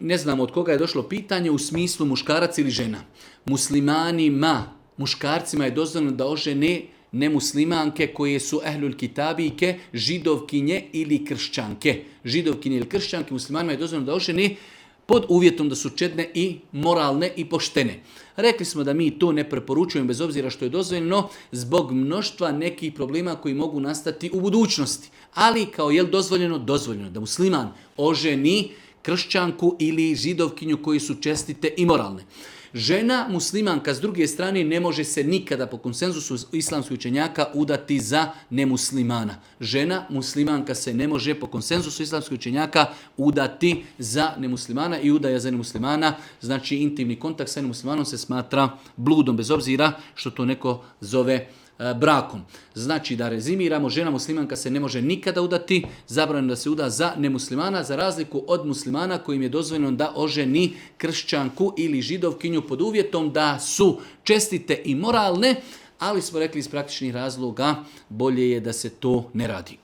ne znam od koga je došlo pitanje u smislu muškarac ili žena. Muslimanima, muškarcima je dozvoljeno da ožene nemuslimanke koje su ehlul kitabijke, židovkinje ili kršćanke. Židovkinje ili kršćanke muslimanima je dozvoljeno da ožene pod uvjetom da su čedne i moralne i poštene. Rekli smo da mi to ne preporučujemo bez obzira što je dozvoljeno zbog mnoštva nekih problema koji mogu nastati u budućnosti. Ali kao je dozvoljeno da musliman oženi kršćanku ili židovkinju koji su čestite i moralne. Žena muslimanka s druge strane ne može se nikada po konsenzusu islamskih učenjaka udati za nemuslimana. Žena muslimanka se ne može po konsenzusu islamskih učenjaka udati za nemuslimana i udaja za nemuslimana. Znači intimni kontakt sa nemuslimanom se smatra bludom bez obzira što to neko zove brakom. Znači da rezimiramo, žena muslimanka se ne može nikada udati, zabranjeno da se uda za nemuslimana, za razliku od muslimana kojim je dozvoljeno da oženi kršćanku ili židovkinju pod uvjetom da su čestite i moralne, ali smo rekli iz praktičnih razloga bolje je da se to ne radi.